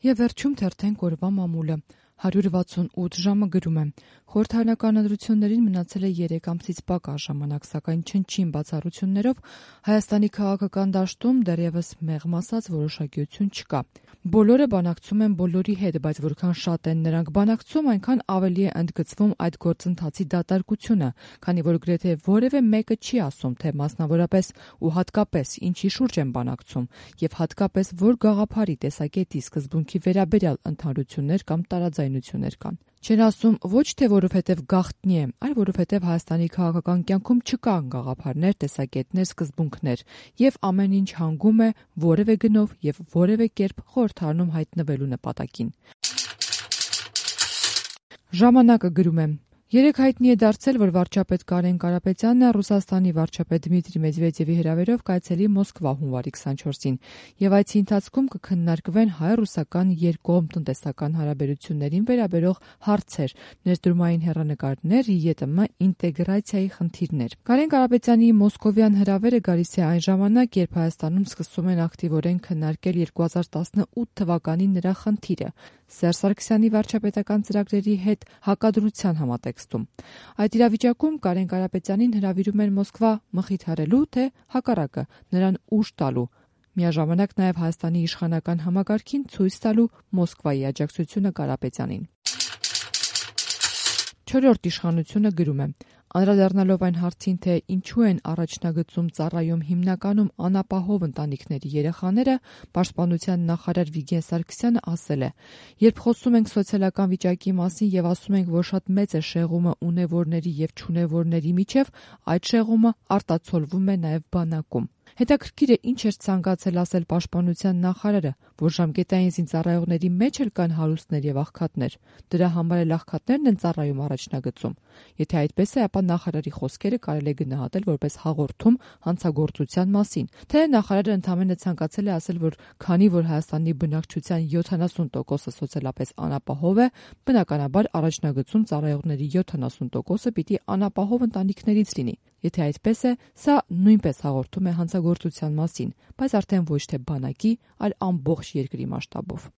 Եվ վերջում թերթենք օրվա մամուլը։ 168 ժամը գրում է. խորհրդարանական ընտրություններին մնացել է 3 ամսից պակաս ժամանակ, սակայն չնչին բացառություններով Հայաստանի քաղաքական դաշտում դեռևս մեղմ ասած որոշակիություն չկա։ Բոլորը բանակցում են բոլորի հետ, բայց որքան շատ են նրանք բանակցում, այնքան ավելի է ընդգծվում այդ գործընթացի դատարկությունը, քանի որ գրեթե որևէ մեկը չի ասում, թե մասնավորապես ու հատկապես ինչի շուրջ են բանակցում, եւ հատկապես որ գաղափարի, տեսակետի, սկզբունքի վերաբերյալ ընդհանրություններ կամ տարաձայնություններ կան։ Չեն ասում ոչ թե որովհետև գաղտնի է, այլ որովհետև Հայաստանի քաղաքական կյանքում չկան գաղափարներ, տեսակետներ, սկզբունքներ, եւ ամեն ինչ հանգում է որևէ գնով եւ որևէ կերպ խորհրդարանում հայտնվելու նպատակին։ Ժամանակը գրում է. Երեկ հայտնի է դարձել, որ վարչապետ Կարեն Կարապետյանն Ռուսաստանի վարչապետ Դմիտրի Մեդվեդևի հրավերով կայցելի Մոսկվա հունվարի 24-ին, եւ այցի ընթացքում կքննարկվեն հայ-ռուսական երկկողմ տնտեսական հարաբերություններին վերաբերող հարցեր, ներդրումային հեռանկարներ, ԵՏՄ ինտեգրացիայի խնդիրներ։ Կարեն Կարապետյանի մոսկովյան հրավերը գալիս է այն ժամանակ, երբ Հայաստանում սկսում են ակտիվորեն քննարկել 2018 թվականին նրա խնդիրը՝ Սերժ Սարգսյանի վարչապետական ծրագրերի հետ հակադրության համատեքստում։ Այդ իրավիճակում Կարեն Կարապետյանին հրավիրում են Մոսկվա մխիթարելու, թե հակառակը նրան ուժ տալու, միաժամանակ նաև Հայաստանի իշխանական համակարգին ցույց տալու Մոսկվայի աջակցությունը Կարապետյանին։ 4-րդ իշխանությունը գրում է. անդրադառնալով այն հարցին, թե ինչու են առաջնագծում ծառայում հիմնականում անապահով ընտանիքների երեխաները, Պաշտպանության նախարար Վիգեն Սարգսյանը ասել է. երբ խոսում ենք սոցիալական վիճակի մասին եւ ասում ենք, որ շատ մեծ է շեղումը ունևորների եւ չունևորների միջեւ, այդ շեղումը արտացոլվում է նաեւ բանակում։ Հետաքրքիր է ինչ էր ցանկացել ասել Պաշտպանության նախարարը, որ ժամկետային զինծառայողների մեջ էլ կան հարուստներ եւ աղքատներ։ Դրա համար էլ աղքատներն են ծառայում առաջնագծում։ Եթե այդպես է, ապա նախարարի խոսքերը կարելի է գնահատել որպես հաղորդում հանցագործության մասին, թե նախարարը ընդամենը ցանկացել է ասել, որ քանի որ Հայաստանի բնակչության 70%-ը սոցիալապես անապահով է, բնականաբար առաջնագծում ծառայողների 70%-ը պիտի անապահով ընտանիքներից լինի։ Եթե այդպես է, սա նույնպես հաղորդում է հանցագործության մասին, բայց արդեն ոչ թե բանակի, այլ ամբողջ երկրի մասշտաբով։